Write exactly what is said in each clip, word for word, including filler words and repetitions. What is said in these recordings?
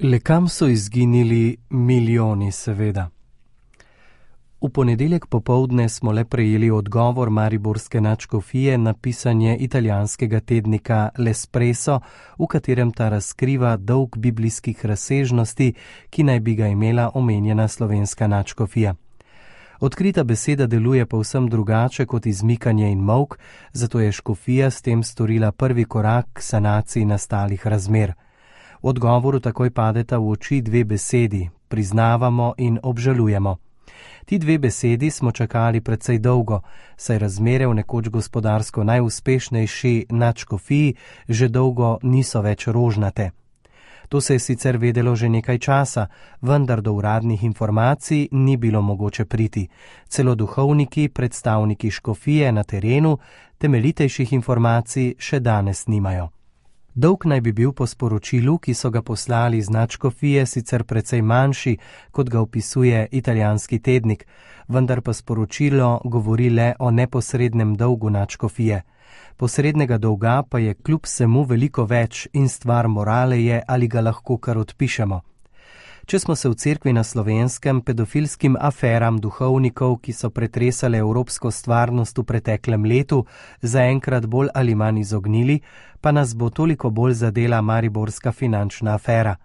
Le kam so izginili milijoni, seveda? V ponedeljek popoldne smo le prejeli odgovor mariborske nadškofije na pisanje italijanskega tednika L'Espresso, v katerem ta razkriva dolg biblijskih razsežnosti, ki naj bi ga imela omenjena slovenska nadškofija. Odkrita beseda deluje povsem drugače kot izmikanje in molk, zato je škofija s tem storila prvi korak k sanaciji nastalih razmer. V odgovoru takoj padeta v oči dve besedi: priznavamo in obžalujemo. Ti dve besedi smo čakali precej dolgo, saj razmere v nekoč gospodarsko najuspešnejši nadškofiji že dolgo niso več rožnate. To se je sicer vedelo že nekaj časa, vendar do uradnih informacij ni bilo mogoče priti. Celo duhovniki, predstavniki škofije na terenu, temeljitejših informacij še danes nimajo. Dolg naj bi bil po sporočilu, ki so ga poslali iz nadškofije, sicer precej manjši, kot ga opisuje italijanski tednik, vendar pa sporočilo govori le o neposrednem dolgu nadškofije. Posrednega dolga pa je kljub vsemu veliko več in stvar morale je, ali ga lahko kar odpišemo. Če smo se v cerkvi na Slovenskem pedofilskim aferam duhovnikov, ki so pretresale evropsko stvarnost v preteklem letu, zaenkrat bolj ali manj izognili, pa nas bo toliko bolj zadela mariborska finančna afera.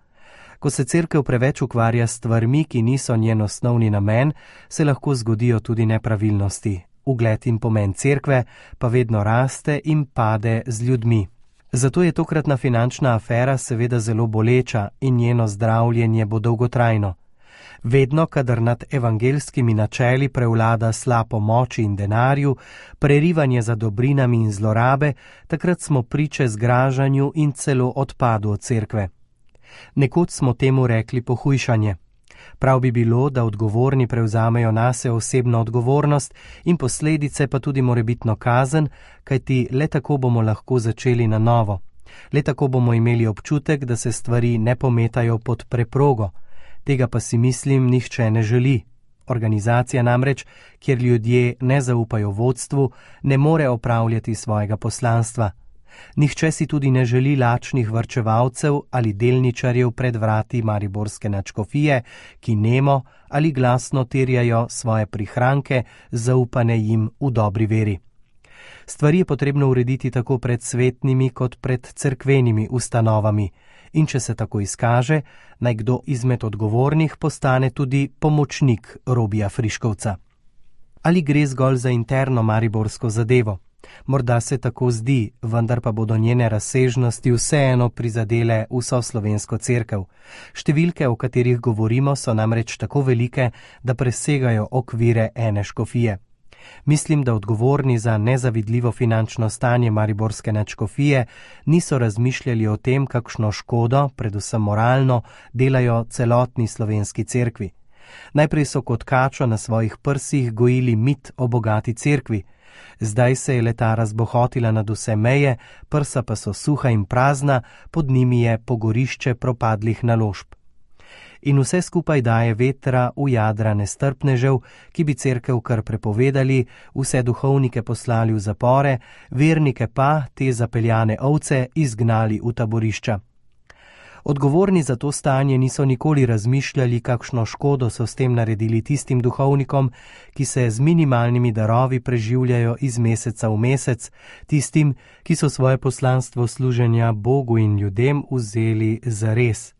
Ko se cerkev preveč ukvarja s stvarmi, ki niso njen osnovni namen, se lahko zgodijo tudi nepravilnosti. Ugled in pomen cerkve pa vedno raste in pade z ljudmi. Zato je tokratna finančna afera seveda zelo boleča in njeno zdravljenje bo dolgotrajno. Vedno, kadar nad evangeljskimi načeli prevlada slab o moči in denarju, prerivanje za dobrinami in zlorabe, takrat smo priče zgražanju in celo odpadu od cerkve. Nekoč smo temu rekli pohujšanje. Prav bi bilo, da odgovorni prevzamejo nase osebno odgovornost in posledice pa tudi morebitno kazen, kajti le tako bomo lahko začeli na novo. Le tako bomo imeli občutek, da se stvari ne pometajo pod preprogo. Tega pa si mislim nihče ne želi. Organizacija namreč, kjer ljudje ne zaupajo vodstvu, ne more opravljati svojega poslanstva. Nihče si tudi ne želi lačnih varčevalcev ali delničarjev pred vrati mariborske nadškofije, ki nemo ali glasno terjajo svoje prihranke, zaupane jim v dobri veri. Stvari je potrebno urediti tako pred svetnimi kot pred cerkvenimi ustanovami in če se tako izkaže, naj kdo izmed odgovornih postane tudi pomočnik Robija Friškovca. Ali gre zgolj za interno mariborsko zadevo? Morda se tako zdi, vendar pa bodo njene razsežnosti vseeno prizadele vso slovensko cerkev. Številke, o katerih govorimo, so namreč tako velike, da presegajo okvire ene škofije. Mislim, da odgovorni za nezavidljivo finančno stanje mariborske nadškofije niso razmišljali o tem, kakšno škodo, predvsem moralno, delajo celotni slovenski cerkvi. Najprej so kot kačo na svojih prsih gojili mit o bogati cerkvi. Zdaj se je leta razbohotila nad vse meje, prsa pa so suha in prazna, pod njimi je pogorišče propadlih naložb. In vse skupaj daje vetra v jadra nestrpnežev, ki bi cerkev kar prepovedali, vse duhovnike poslali v zapore, vernike pa, te zapeljane ovce, izgnali v taborišča. Odgovorni za to stanje niso nikoli razmišljali, kakšno škodo so s tem naredili tistim duhovnikom, ki se z minimalnimi darovi preživljajo iz meseca v mesec, tistim, ki so svoje poslanstvo služenja Bogu in ljudem vzeli zares,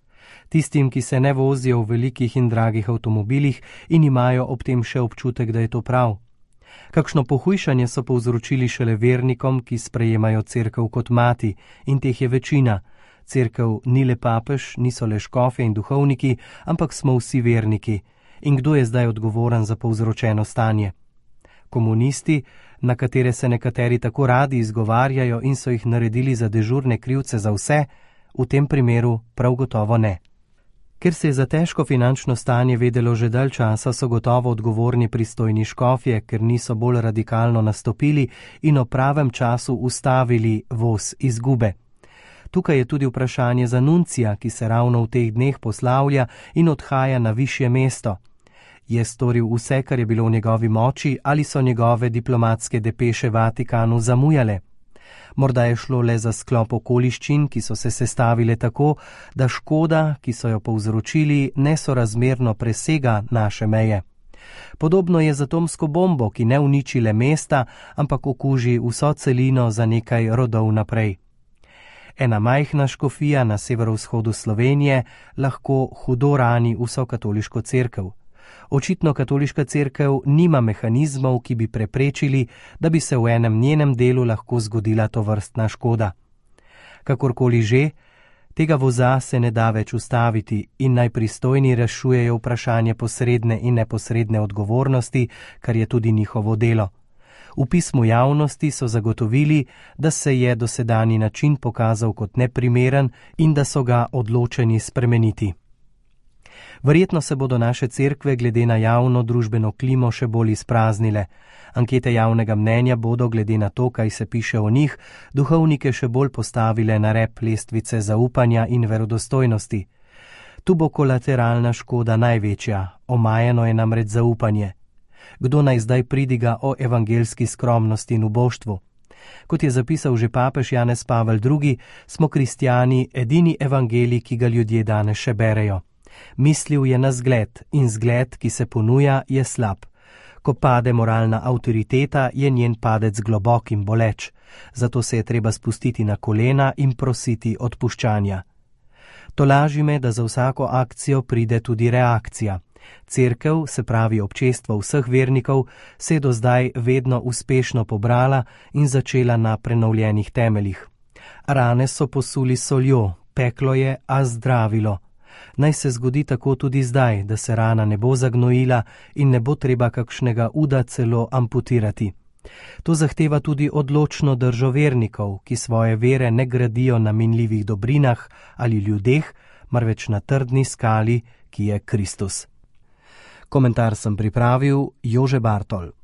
tistim, ki se ne vozijo v velikih in dragih avtomobilih in imajo ob tem še občutek, da je to prav. Kakšno pohujšanje so povzročili šele vernikom, ki sprejemajo cerkev kot mati, in teh je večina. Cerkev ni le papež, niso le škofje in duhovniki, ampak smo vsi verniki. In kdo je zdaj odgovoren za povzročeno stanje? Komunisti, na katere se nekateri tako radi izgovarjajo in so jih naredili za dežurne krivce za vse, v tem primeru prav gotovo ne. Ker se je za težko finančno stanje vedelo že dalj časa, so gotovo odgovorni pristojni škofje, ker niso bolj radikalno nastopili in o pravem času ustavili voz izgube. Tukaj je tudi vprašanje za nuncija, ki se ravno v teh dneh poslavlja in odhaja na višje mesto. Je storil vse, kar je bilo v njegovi moči, ali so njegove diplomatske depeše Vatikanu zamujale? Morda je šlo le za sklop okoliščin, ki so se sestavile tako, da škoda, ki so jo povzročili, nesorazmerno presega naše meje. Podobno je z atomsko bombo, ki ne uniči le mesta, ampak okuži vso celino za nekaj rodov naprej. Ena majhna škofija na severovzhodu Slovenije lahko hudo rani vso katoliško cerkev. Očitno katoliška cerkev nima mehanizmov, ki bi preprečili, da bi se v enem njenem delu lahko zgodila tovrstna škoda. Kakorkoli že, tega voza se ne da več ustaviti in naj pristojni rešujejo vprašanje posredne in neposredne odgovornosti, kar je tudi njihovo delo. V pismu javnosti so zagotovili, da se je dosedanji način pokazal kot neprimeren in da so ga odločeni spremeniti. Verjetno se bodo naše cerkve glede na javno družbeno klimo še bolj izpraznile. Ankete javnega mnenja bodo, glede na to, kaj se piše o njih, duhovnike še bolj postavile na rep lestvice zaupanja in verodostojnosti. Tu bo kolateralna škoda največja, omajeno je namreč zaupanje. Kdo naj zdaj pridiga o evangelski skromnosti in uboštvu? Kot je zapisal že papež Janez Pavel drugi, smo kristjani edini evangelij, ki ga ljudje danes še berejo. Mislil je na zgled in zgled, ki se ponuja, je slab. Ko pade moralna avtoriteta, je njen padec globok in boleč. Zato se je treba spustiti na kolena in prositi odpuščanja. Tolaži me, da za vsako akcijo pride tudi reakcija. Cerkev, se pravi občestvo vseh vernikov, se je do zdaj vedno uspešno pobrala in začela na prenovljenih temeljih. Rane so posuli soljo, peklo je, a zdravilo. Naj se zgodi tako tudi zdaj, da se rana ne bo zagnojila in ne bo treba kakšnega uda celo amputirati. To zahteva tudi odločno držo vernikov, ki svoje vere ne gradijo na minljivih dobrinah ali ljudeh, marveč na trdni skali, ki je Kristus. Komentar sem pripravil Jože Bartol.